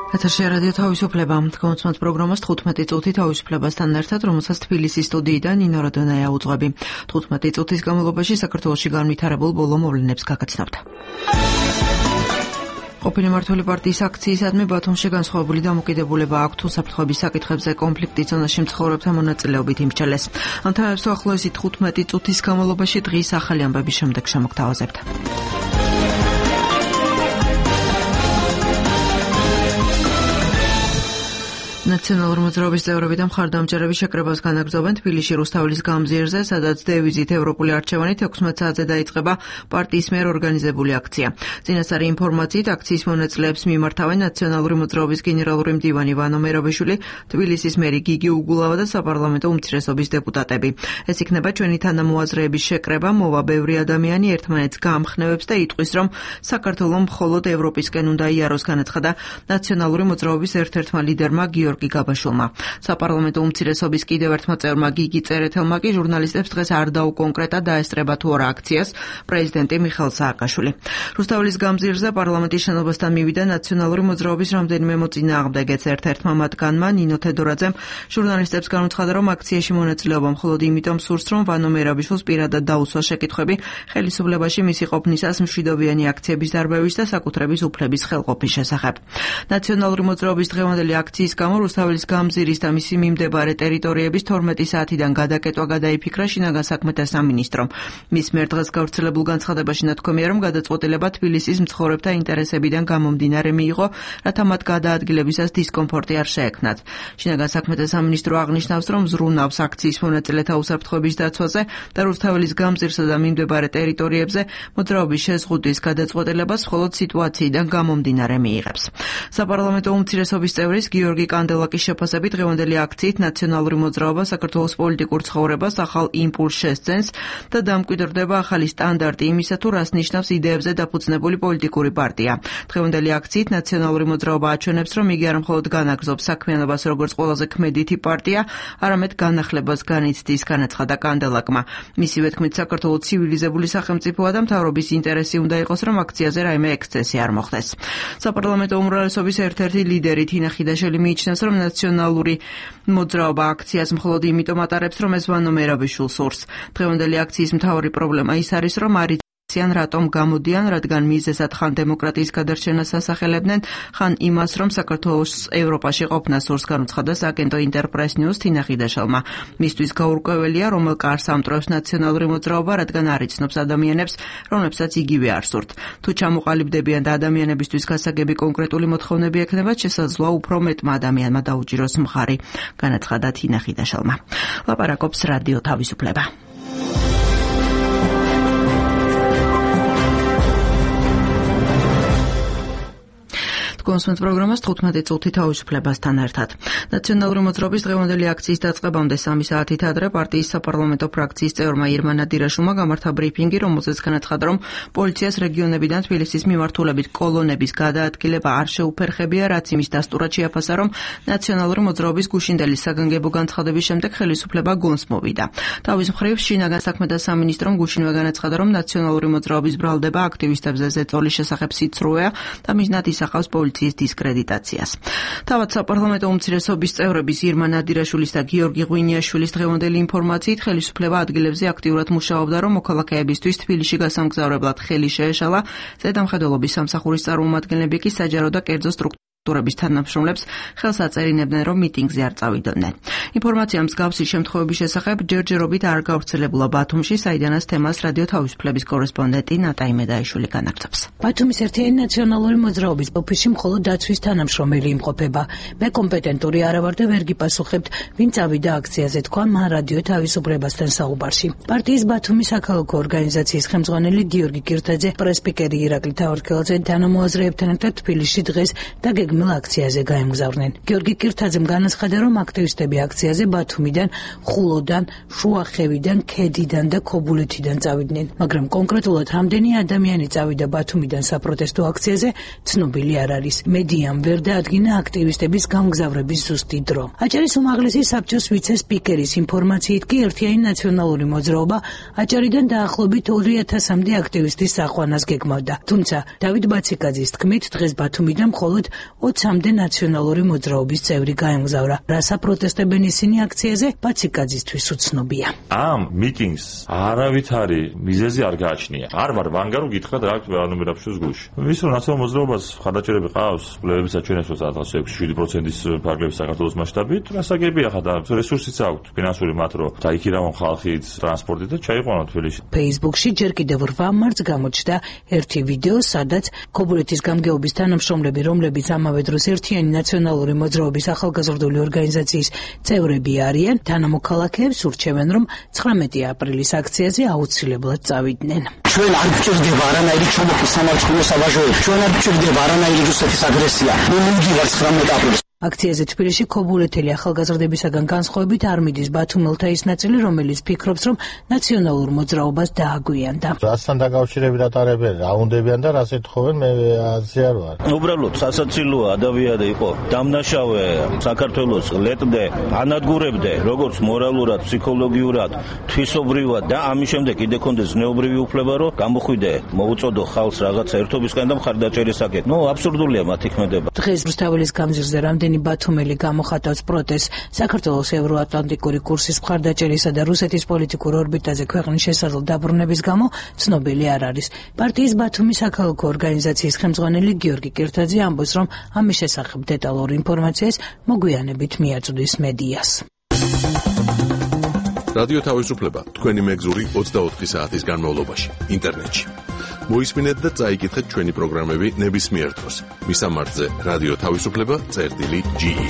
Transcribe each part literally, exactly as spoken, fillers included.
ეთერში რადიო თავისუფლება. Კონსულტანტ პროგრამას თხუთმეტი წუთი თავისუფლებასთან ერთად, რომელსაც თბილისის სტუდიიდან ნინო რადონაია უძღვები. თხუთმეტი წუთის განმავლობაში საქართველოში განვითარებულ ბოლო მოვლენებს გაგაცნობთ. ყოფილი მმართველი პარტიის აქციისადმი ბათუმში განსხვავებული დამოკიდებულება აქვთ უსაფრთხოების საკითხებზე კონფლიქტის ზონაში მცხოვრებთა მონაწილეობით იმსჯელეს. ამ თემებს უახლოესი თხუთმეტი წუთის განმავლობაში დღის ახალი ამბების შემდეგ შემოგთავაზებთ. ნაციონალური მოძრაობის წევრები და მხარდამჭერები შეკრებას განაგრძობენ თბილისში რუსთაველის გამზირზე, სადაც დევიზით ევროპული არჩევანით ექვთმეტ საათზე დაიწყება პარტიის მიერ ორგანიზებული აქცია. წინასწარი ინფორმაციით აქციის მონაწილეებს მიმართავენ ნაციონალური მოძრაობის გენერალური მდივანი ვანო მერაბიშვილი, თბილისის მერი გიგი უგულავა და საპარლამენტო უმცირესობის დეპუტატები. ეს იქნება ჩვენი თანამოაზრეების შეკრება, მოვა ბევრი ადამიანი ერთმანეთს გაამხნევებს და იტყვის, რომ საქართველო მხოლოდ ევროპისკენ უნდა იაროს, განაცხადა ნაციონალური მოძრაობის ერთ-ერთმა ლიდერმა გიორგი გაბაშულმა. საპარლამენტო უმცირესობის კიდევ ერთმა წევრმა გიგი წერეთელმა კი ჟურნალისტებს დღეს არ დაუკონკრეტა დაესწრება თუ არა აქციას პრეზიდენტი მიხეილ სააკაშვილი. რუსთაველის გამზირზე პარლამენტის შენობასთან მივიდა ნაციონალური მოძრაობის რამდენიმე მოწინააღმდეგეც. ერთ-ერთმა მათგანმა ნინო თედორაძემ ჟურნალისტებს განუცხადა, რომ აქციაში მონაწილეობა მხოლოდ იმიტომ სურს, რომ ვანო მერაბიშვილს პირადად დაუსვა შეკითხვები ხელისუფლებაში მისი ყოფნისას მშვიდობიანი აქციების დარბევის და საკუთრების უფლების ხელყოფის შესახებ. ნაციონალური მოძრაობის დღევანდელი აქციის გამო რუსთაველის გამზირის და მისი მიმდებარე ტერიტორიების თორმეტი საათიდან გადაკეტვა გადაიფიქრა შინაგან საქმეთა სამინისტრომ. მის მიერ დღეს გავრცელებულ განცხადებაში ნათქვამია, რომ გადაწყვეტილება თბილისის მცხოვრებთა ინტერესებიდან გამომდინარე მიიღო, რათა მათ გადაადგილებისას დისკომფორტი არ შეექმნათ. შინაგან საქმეთა სამინისტრო აღნიშნავს, რომ ზრუნავს აქციის მონაწილეთა უსაფრთხოების დაცვაზე და რუსთაველის გამზირსა და მიმდებარე ტერიტორიებზე მოძრაობის შეზღუდვის გადაწყვეტილებას მხოლოდ სიტუაციიდან გამომდინარე მიიღებს. საპარლამენტო უმცირესობის წევრის გიორგი კანდელაკის შეფასებით დღევანდელი აქციით ნაციონალური მოძრაობა საქართველოს პოლიტიკურ ცხოვრებას ახალ იმპულსს შესძენს და დამკვიდრდება ახალი სტანდარტი იმისა, თუ რას ნიშნავს იდეებზე დაფუძნებული პოლიტიკური პარტია. დღევანდელი აქციით ნაციონალური მოძრაობა აჩვენებს, რომ იგი არა მხოლოდ განაგრძობს საქმიანობას როგორც ყველაზე ქმედითი პარტია, არამედ განახლებას განიცდის, განაცხადა კანდელაკმა. მისივე თქმით, საქართველო ცივილიზებული სახელმწიფოა და მთავრობის ინტერესი უნდა იყოს, რომ აქციაზე რაიმე ექსცესი არ მოხდეს. საპარლამენტო უმრავლესობის ერთ-ერთი ლიდერი თინა ხიდაშვილი მიიჩნევს, რომ ნაციონალური მოძრაობა აქციას მხოლოდ იმიტომ ატარებს, რომ ეს ვანო მერაბიშვილს სურს. დღევანდელი აქციის მთავარი პრობლემა ის არის, რომ არის ან რატომ გამოდიან, რადგან მიზეზად ხან დემოკრატიის გადარჩენას ასახელებდნენ, ხან იმას, რომ საქართველოს ევროპაში ყოფნა სურს, განუცხადა სააგენტო ინტერპრეს ნიუს თინა ხიდაშვილმა. მისთვის გაურკვეველია, რომელ კარს ამტვრევს ნაციონალური მოძრაობა, რადგან არ იცნობს ადამიანებს, რომლებსაც იგივე არ სურთ. თუ ჩამოყალიბდებიან და ადამიანებისთვის გასაგები კონკრეტული მოთხოვნები ექნებათ, შესაძლოა უფრო მეტმა ადამიანმა დაუჭიროს მხარი, განაცხადა თინა ხიდაშვილმა. ლაპარაკობს რადიო თავისუფლება. კონსულტანტ პროგრამას თხუთმეტი წუთი თავისუფლებასთან ერთად. ნაციონალური მოძრაობის დღევანდელი აქციის დაწყებამდე სამი საათით ადრე პარტიის საპარლამენტო ფრაქციის წევრმა ირმა ნადირაშვილმა გამართა ბრიფინგი, რომელზეც განაცხადა, რომ პოლიციას რეგიონებიდან თბილისის მიმართულებით კოლონების გადაადგილება არ შეუფერხებია, რაც იმის დასტურად შეაფასა, რომ ნაციონალური მოძრაობის გუშინდელი საგანგებო განცხადების შემდეგ ხელისუფლება გონს მოვიდა. თავის მხრივ შინაგან საქმეთა სამინისტრომ გუშინვე განაცხადა, რომ ნაციონალური მოძრაობის ბრალდება აქტივისტებზე ზეწოლის შესახებ სიცრუეა და მიზნად ისახავს პოლიციის დისკრედიტაციას. თავად საპარლამენტო უმცირესობის წევრების ირმა ნადირაშვილის და გიორგი ღვინიაშვილის დღევანდელი ინფორმაციით ხელისუფლება ადგილებზე აქტიურად მუშაობდა, რომ მოქალაქეებისთვის თბილისში გასამგზავრებლად ხელი შეეშალა. ზედამხედველობის სამსახურის წარმომადგენლები კი საჯარო და კერძო სტრუქტურების თანამშრომლებს ხელს აწერინებდნენ, რომ მიტინგზე არ წავიდნენ. ინფორმაცია მსგავსი შემთხვევების შესახებ ჯერჯერობით არ გავრცელებულა ბათუმში, საიდანაც თემას რადიო თავისუფლების კორესპონდენტი ნატაი მედაიშვილი განაგრძობს. ბათუმის ერთიანი ნაციონალური მოძრაობის ოფისში მხოლოდ დაცვის თანამშრომელი იმყოფება. მე კომპეტენტური არა ვარ და ვერ გიპასუხებთ, ვინ წავიდა აქციაზე, თქვა მან რადიო თავისუფლებასთან საუბარში. პარტიის ბათუმის საქალაქო ორგანიზაციის ხელმძღვანელი გიორგი კირთაძე, პრესპიკერი ირაკლი თავარქელაძე თანამოაზრეებთან ერთად თბილისში დღეს დაგეგმილ აქციაზე გაემგზავრნენ. გიორგი კირთაძემ განაცხადა, რომ აქტივისტები აქციაზე ბათუმიდან, ხულოდან, შუახევიდან, ქედიდან და ქობულეთიდან წავიდნენ, მაგრამ კონკრეტულად რამდენი ადამიანი წავიდა ბათუმიდან საპროტესტო აქციაზე, ცნობილი არ არის. მედიამ ვერ დაადგინა აქტივისტების გამგზავრების ზუსტი დრო. აჭარის უმაღლესი საბჭოს ვიცე-სპიკერის ინფორმაციით კი ერთიანი ნაციონალური მოძრაობა აჭარიდან დაახლოებით ორი ათასამდე აქტივისტის საყვანას გეგმავდა. თუმცა დავით ბაციკაძის თქმით, დღეს ბათუმიდან მხოლოდ ოცამდე ნაციონალური მოძრაობის წევრი გაემგზავრა. რა საპროტესტებენ ისინი აქციაზე, ბაციკაძისთვის უცნობია. ამ მიტინგს არავითარი მიზეზი არ გააჩნია. არ ვარ ვანგარო გითხრათ რა ანუ მე რაფშოს გულში. ის რომ ნაციონალურ მოძრაობას ხარდაჭერები ყავს, კვლევებიც აჩვენებს რომ ექვსი შვიდი პროცენტის ფარგლებს საქართველოს მასშტაბით, რასაგებია ხა და რესურსიც აქვს ფინანსური მათ რომ დაიქირავონ ხალხით ტრანსპორტით და ჩაიყვანონ თბილისში. Facebook-ში ჯერ კიდევ რვა მარტს გამოჩნდა ერთი ვიდეო, სადაც ქობულეთის გამგეობის თანამშრომლები, რომლებიც ამავე დროს ერთიანი ნაციონალური მოძრაობის ახალგაზრდული ორგანიზაციის წევრები არიან, თანამოქალაქეებს ურჩევენ, რომ ცხრამეტი აპრილის აქციაზე აუცილებლად წავიდნენ. ჩვენ არ გვჭირდება არანაირი ჩომოხის სამართლებრივი საბაჟოები. ჩვენ არ გვჭირდება არანაირი რუსეთის აგრესია. მე მივდივარ ცხრამეტი აპრილს. აქციაზე თბილისში ქობულეთელი ახალგაზრდებისაგან განსხვავებით არ მიდის ბათუმელთა ის ნაწილი, რომელიც ფიქრობს, რომ ნაციონალურ მოძრაობას დააგვიანდა. რასთან დაკავშირებით ატარებენ, რა უნდებიან და რას ეთხოვენ, მე აზრი არ ვარ. უბრალოდ სასაცილოა ადავიადე იყო. დამნაშავე საქართველოს ლეტდე, ანადგურებდე, როგორც მორალურად, ფსიქოლოგიურად, თვისობრივად და ამის შემდეგ კიდე კონდეს ზნეობრივი უფლება, რომ გამოხვიდე, მოუწოდო ხალხს რაღაცა ერთობისგან და მხარდაჭერისაკენ. ნუ აბსურდულია მათი ქმედება. დღეს რუსთაველის გამზირზე რამდენი ბათუმელი გამოხატავს პროტესტს საქართველოს ევროატლანტიკური კურსის მხარდაჭერისა და რუსეთის პოლიტიკურ ორბიტაზე ქვეყნის შესაძლო დაბრუნების გამო ცნობილი არ არის. პარტიის ბათუმის საქალაქო ორგანიზაციის ხელმძღვანელი გიორგი კირთაძე ამბობს, რომ ამის შესახებ დეტალურ ინფორმაციას მოგვიანებით მიაწვდის მედიას. რადიო თავისუფლება თქვენი მეგზური ოცდაოთხი საათის განმავლობაში ინტერნეტში. მოისმინეთ და წაიკითხეთ ჩვენი პროგრამები ნებისმიერ დროს. მისამართზე რადიო თავისუფლება წერტილი ჯი ი.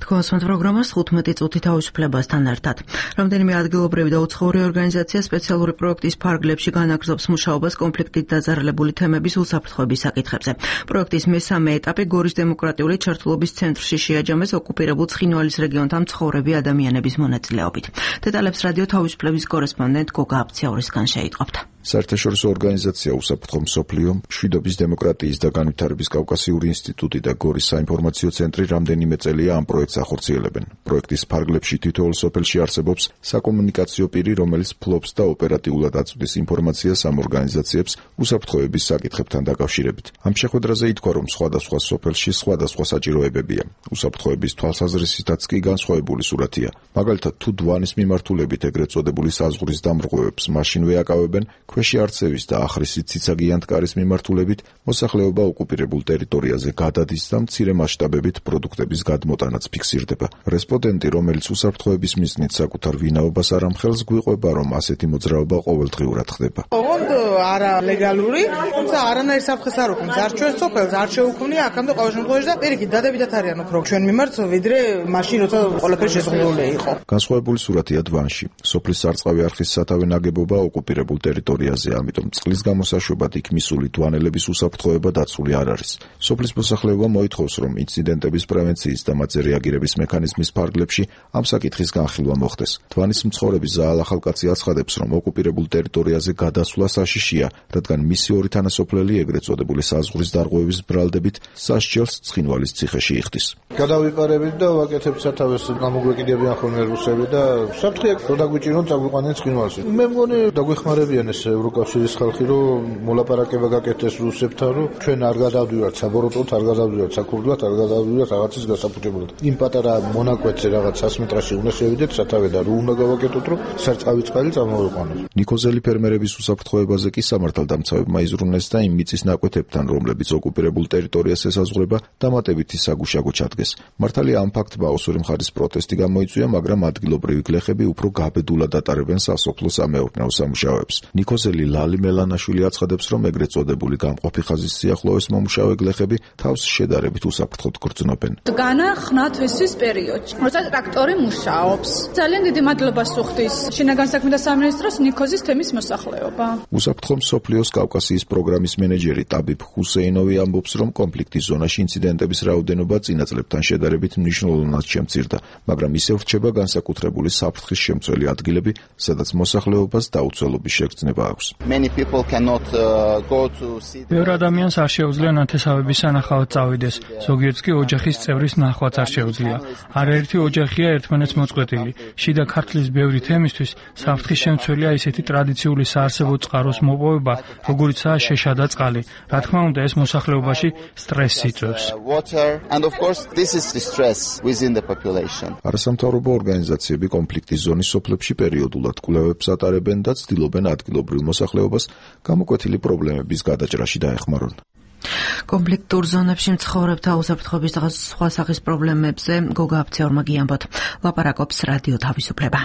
თქვენს პროგრამას თხუთმეტი წუთი თავისუფლებასთან ერთად. რამდენიმე ადგილობრივი და უცხოური ორგანიზაცია სპეციალური პროექტის ფარგლებში განაგრძობს მუშაობას კონფლიქტით დაძარალებული თემების უსაფრთხოების საკითხებზე. პროექტის მესამე ეტაპი გორის დემოკრატიული ჩართულობის ცენტრში შეაჯამეს ოკუპირებულ ცხინვალის რეგიონთან მცხოვრები ადამიანების მონაწილეობით. დეტალებს რადიო თავისუფლების კორესპონდენტ გოგა აფციაურისგან შეიტყობთ. საერთაშორისო ორგანიზაცია უსაფრთხო მსოფლიო, მშვიდობის დემოკრატიის და განვითარების კავკასიური ინსტიტუტი და გორის საინფორმაციო ცენტრი რამდენიმე წელია ამ პროექტს ახორციელებენ. პროექტის ფარგლებში თითოეულ სოფელში არსებობს საკომუნიკაციო პირი, რომელიც ფლობს და ოპერატიულად აწვდის ინფორმაციას ამ ორგანიზაციებს უსაფრთხოების საკითხებთან დაკავშირებით. ამ შეხვედრაზე ითქვა, რომ სხვადასხვა სოფელში სხვადასხვა საჭიროებებია. უსაფრთხოების თვალსაზრისითაც კი განსხვავებული სურათია. მაგალითად, თუ დვანის მიმართულებით ეგრეთ წოდებული საზღვრის დამრღვევებს მაშინვე აკავებენ, ქვეში არცევის და ახრისის ციცაგიანთ კარის მიმართულებით მოსახლეობა ოკუპირებულ ტერიტორიაზე გადადის და მცირე მასშტაბებით პროდუქტების გადმოტანაც ფიქსირდება. რესპონდენტი, რომელიც უსაფრთხოების მიზნით საკუთარ ვინაობას არ ამხელს, გვიყვება, რომ ასეთი მოძრაობა ყოველდღიურად ხდება. ოღონდ არა ლეგალური, თუმცა არანაირ საფრთხეს არ უქმნის, არ ჩვენს სოფელს არ შეუქმნია აქამდე ყოველ შემთხვევაში და პირიქით დადებითად არიან უფრო ჩვენ მიმართ, ვიდრე მაშინ როცა ყველაფერი შეზღუდული იყო. განსხვავებული სურათია დვანში. სოფლის სარწყავი არხის სათავე ნაგებობა ოკუპირებულ ტერიტორიაზე, ამიტომ წყლის გამოსაშვებად იქ მისული დვანელების უსაფრთხოება დაცული არ არის. სოფლის მოსახლეობა მოითხოვს, რომ ინციდენტების პრევენციის და მათზე რეაგირების მექანიზმის ფარგლებში ამ საკითხის განხილვა მოხდეს. დვანის მცხოვრები ზაალ ახალკაცი აცხადებს, რომ ოკუპირებულ ტერიტორიაზე გადასვლა საშიშია, რადგან მისი ორი თანასოფლელი ეგრეთ წოდებული საზღვრის დარღვევის ბრალდებით სასჯელს ცხინვალის ციხეში იხდის. გადავიყარებით და ვაკეთებთ სათავეს, გამოგვეკიდებიან ხოლმე რუსები და საფრთხეა რომ დაგვიჭირონ წაგვიყვანენ ცხინვალში. მე მგონი დაგვეხმარებიან ეს ევროკავშირის ხალხი, რომ მოლაპარაკება გაკეთდეს რუსებთან, რომ ჩვენ არ გადავდივართ საბოროტოდ, არ გადავდივართ საქურდლად, არ გადავდივართ რაღაცის გასაფუჭებლად. იმ პატარა მონაკვეთზე რაღაც ას მეტრში უნდა შევიდეთ სათავე და რო უნდა გავაკეთოთ, რომ სარწყავი წყალი წამოვიყვანოს. ნიკოზელი ფერმერების უსაფრთხოებაზე კი სამართალდამცავებმა იზრუნეს და იმ მიწის ნაკვეთებთან, რომლებიც ოკუპირებულ ტერიტორიას ესაზღვრება, დამატებითი საგუშაგო ჩადგეს. მართალია ამ ფაქტმა ოსური მხარის პროტესტი გამოიწვია, მაგრამ ადგილობრივი გლეხები უფრო გაბედულად ატარებენ სასოფლო სამეურნეო სამუშაოებს. ნიკოზელი ლალი მელანაშვილი აცხადებს, რომ ეგრეთ წოდებული გამყოფი ხაზის სიახლოვეს მომუშავე გლეხები თავს შედარებით უსაფრთხოდ გრძნობენ. განა ხნათ ესის პერიოდში, როცა ტრაქტორი მუშაობს. ძალიან დიდი მადლობა სუხდის შინაგან საქმეთა სამინისტროს ნიკოზის თემის მოსახლეობა. უსაფრთხო მსოფლიოს კავკასიის პროგრამის მენეჯერი ტაბიბ ჰუსეინოვი ამბობს, რომ კონფლიქტის ზონაში ინციდენტების რაოდენობა წინა წლებთან შედარებით მნიშვნელოვნად შემცირდა, მაგრამ ისევ რჩება განსაკუთრებული საფრთხის შემცველი ადგილები, სადაც მოსახლეობას დაუცველობის შეგრძნება აქვს. ბევრ ადამიანს არ შეუძლია ნათესავების სანახავად წავიდეს, ზოგიერთს კი ოჯახის წევრის ნახვაც არ შეუძლია. არაერთი ოჯახია ერთმანეთს მოწყვეტილი. შიდა ქართლის ბევრი თემისთვის საფრთხის შემცველია ისეთი ტრადიციული საარსებო წყაროს მოპოვება, როგორიცაა შეშა და წყალი. რა თქმა უნდა, ეს მოსახლეობაში სტრესს იწვევს. არასამთავრობო ორგანიზაციები კონფლიქტის ზონის სოფლებში პერიოდულად კვლევებს ატარებენ და ცდილობენ ადგილობრივ მოსახლეობას გამოკვეთილი პრობლემების გადაჭრაში დაეხმარონ. კონფლიქტურ ზონებში მცხოვრებთა უსაფრთხოების და სხვა სახის პრობლემებზე გოგა აფცეორმა გიამბოთ. ლაპარაკობს რადიო თავისუფლება.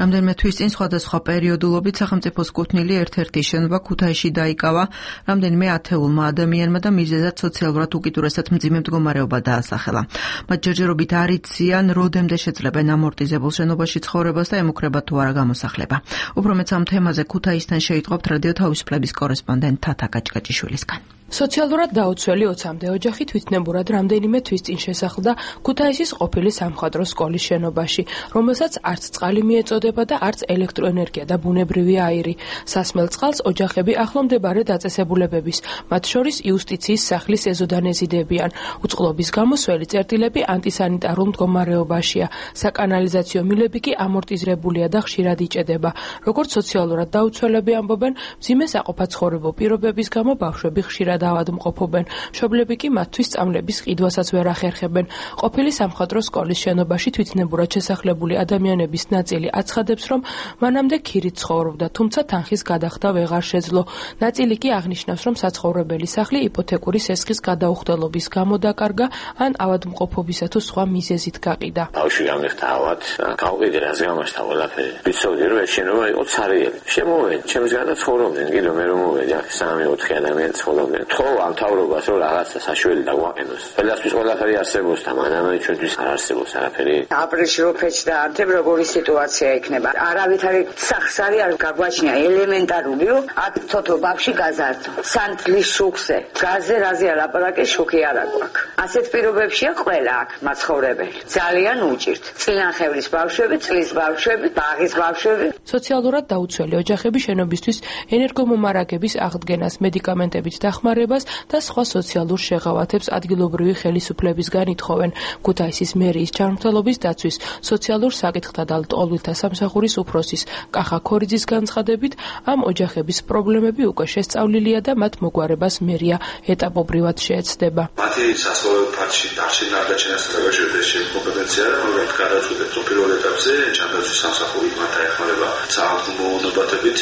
რამდენიმე თვის წინ სხვადასხვა პერიოდულობით სახელმწიფოს კუთვნილი ერთ-ერთი შენობა ქუთაისში დაიკავა რამდენიმე ათეულმა ადამიანმა და მიზეზად სოციალურად უკიდურესად მძიმე მდგომარეობა დაასახელა. მათ ჯერჯერობით არ იციან, როდემდე შეძლებენ ამორტიზებულ შენობაში ცხოვრებას და ემუქრებათ თუ არა გამოსახლება. უფრო მეც ამ თემაზე ქუთაისთან შეიტყობთ რადიო თავისუფლების კორესპონდენტ თათა გაჭკაჭიშვილისგან. სოციალურად დაუცველი ოცამდე ოჯახი თვითნებურად რამდენიმე თვის წინ შესახლდა ქუთაისის ყოფილი სამხატვრო სკოლის შენობაში, რომელსაც არც წყალი მიეწოდება და არც ელექტროენერგია და ბუნებრივი აირი. სასმელ წყალს ოჯახები ახლომდებარე დაწესებულებების, მათ შორის იუსტიციის სახლის ეზოდან ეზიდებიან. უწყლობის გამოსველი წერტილები ანტისანიტარულ მდგომარეობაშია. საკანალიზაციო მილები კი ამორტიზებულია და ხშირად იჭედება. როგორც სოციალურად დაუცველები ამბობენ, მძიმე საყოფაცხოვრებო პირობების გამო ბავშვები ხშირად ავადმყოფობენ. მშობლები კი მათთვის სწავლების ყიდვასაც ვერ ახერხებენ. ყოფილი სამხატვრო სკოლის შენობაში თვითნებურად შესახლებული ადამიანების ნაწილი აცხადებს, რომ მანამდე ქირით ცხოვრობდა, თუმცა თანხის გადახდა ვეღარ შეძლო. ნაწილი კი აღნიშნავს, რომ საცხოვრებელი სახლი იპოთეკური სესხის გადაუხდელობის გამო დაკარგა, ან ავადმყოფობისა თუ სხვა მიზეზით გაყიდა. ბავშვი გამიხდა ავად, გავყიდე რაზე გამაშთა ყველაფერი. ვიცოდი რომ ეს შენობა იყო ცარიელი. შემოვედი, ჩემს გარდა ცხოვრობდნენ, კიდე მე რომ მოვედი, აქ სამი ოთხი ადამიანი ცხოვრობდნენ. თქო ამ თავრობას რომ რაღაცა საშველი დაგვაყენოს. ყველასთვის ყველაფერი არსებობს და მანამდე ჩვენთვის არ არსებობს არაფერი. აპრილში რო ფეჩი დაარდებ, როგორი სიტუაცია იქნება. არავითარი სახსარი არ გაგვაჩნია, ელემენტარული რომ აქ თოთო ბავში გაზარდო. სანთლის შუქზე, გაზზე რაზე ალაპარაკე შუქი არ აქვს. ასეთ პირობებშია ყველა აქ მაცხოვრებელი. ძალიან უჭირთ. წინახევრის ბავშვები, წლის ბავშვები, ბაღის ბავშვები. სოციალურად დაუცველი ოჯახები შენობისთვის ენერგომომარაგების აღდგენას, მედიკამენტებით დახმარებას და სხვა სოციალურ შეღავათებს ადგილობრივი ხელისუფლებისგან ითხოვენ. ქუთაისის მერიის ჯანმრთელობის დაცვის სოციალურ საკითხთა და ლტოლვილთა სამსახურის უფროსის კახა ქორიძის განცხადებით, ამ ოჯახების პრობლემები უკვე შესწავლილია და მათ მოგვარებას მერია ეტაპობრივად შეეცდება. მათი სასწავლო ფაქტში დარჩენა და ჩენასწრება შეუძლია კომპეტენცია, რომ გადაწყვეტენ პირველ ეტაპზე ჯანდაცვის სამსახური მათ ეხმარება საავადმყოფო მონობათებით,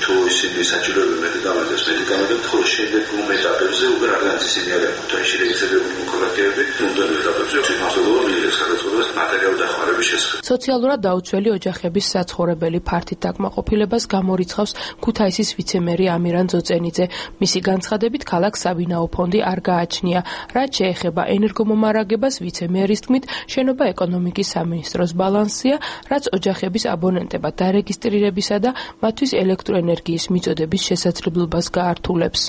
თუ ისინი საჭიროებენ მედიკამენტებს, მედიკამენტებს ხო შემდეგ ում ეტაპებზე უკვე რადგანაც ისინი არიან ქუთაისში რეგისტრირებული მოქალაქეები, თუნდაც ეტაპებზე თვითმასწავლებლობა მიიღეს გადაწყვეტას მატერიალური დახმარების შესახებ. სოციალურად დაუცველი ოჯახების საცხოვრებელი ფართით დაკმაყოფილებას გამორიცხავს ქუთაისის ვიცემერი ამირან ძოწენიძე. მისი განცხადებით, ქალაქს საბინაო ფონდი არ გააჩნია. რაც შეეხება ენერგომომარაგებას, ვიცემერის თქმით, შენობა ეკონომიკის სამინისტროს ბალანსია, რაც ოჯახების აბონენტებად დარეგისტრირებისა და მათთვის ელექტროენერგიის მიწოდების შესაძლებლობას გაართულებს.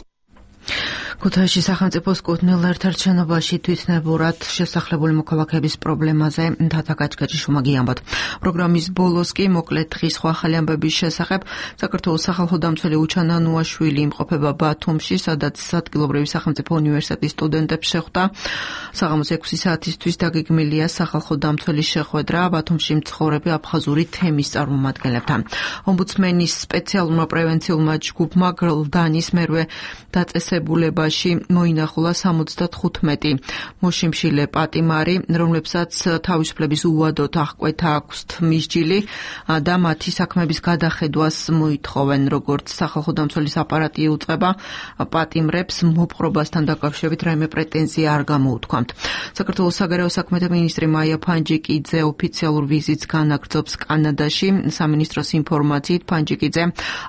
ქუთაისში სახელმწიფოს კუთვნილ ერთ-ერთ შენობაში თვითნებურად შესახლებული მოქალაქეების პრობლემაზე თათა გაჭკაჭიშვილმა გიამბოთ. პროგრამის ბოლოს კი მოკლედ დღის სხვა ახალი ამბების შესახებ საქართველოს სახალხო დამცველი უჩანა ნუაშვილი იმყოფება ბათუმში, სადაც ადგილობრივი სახელმწიფო უნივერსიტეტის სტუდენტებს შეხვდა. საღამოს ექვსი საათისთვის დაგეგმილია სახალხო დამცველის შეხვედრა ბათუმში მცხოვრები აფხაზური თემის წარმომადგენლებთან. ომბუდსმენის სპეციალურმა პრევენციულმა ჯგუფმა გრლდანის მერვე დაწესებულება მოინახულა სამოცდათხუთმეტი მოშიმშილე პატიმარი, რომლებსაც თავისუფლების უვადოდ აღკვეთა აქვთ მისჯილი და მათი საქმების გადახედვას მოითხოვენ. როგორც სახალხო დამცველის აპარატი უწყება პატიმრებს, მოპყრობასთან დაკავშირებით რაიმე პრეტენზია არ გამოუთქვამთ. საქართველოს საგარეო საქმეთა მინისტრი მაია ფანჯიკიძე ოფიციალურ ვიზიტს განაგრძობს კანადაში. სამინისტროს ინფორმაციით ფანჯიკიძე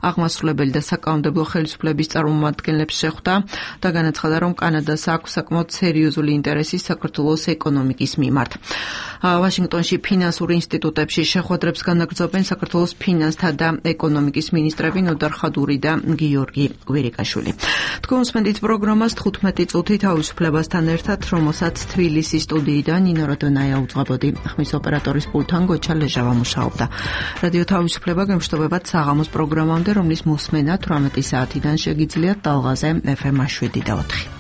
აღმასრულებელი და საკანონმდებლო ხელისუფლების წარმომადგენლებს შეხვდა. და განაცხადა, რომ კანადას აქვს საკმაოდ სერიოზული ინტერესი საქართველოს ეკონომიკის მიმართ. ვაშინგტონში ფინანსურ ინსტიტუტებში შეხვედრებს განაგრძობენ საქართველოს ფინანსთა და ეკონომიკის მინისტრები ნოდარ ხადური და გიორგი კვირიკაშვილი. თქვენ უსმენთ პროგრამას თხუთმეტი წუთი თავისუფლებასთან ერთად, რომელსაც თბილისის სტუდიიდან ნინო როდონაია უძღვებოდი. ხმის ოპერატორის პულტთან გოჩა ლეჟავა მუშაობდა. რადიო თავისუფლება გემშვიდობებათ საღამოს პროგრამამდე, რომლის მოსმენა თვრამეტი საათიდან შეგიძლიათ ტალღაზე ეფ ემ შვიდი და ოთხი.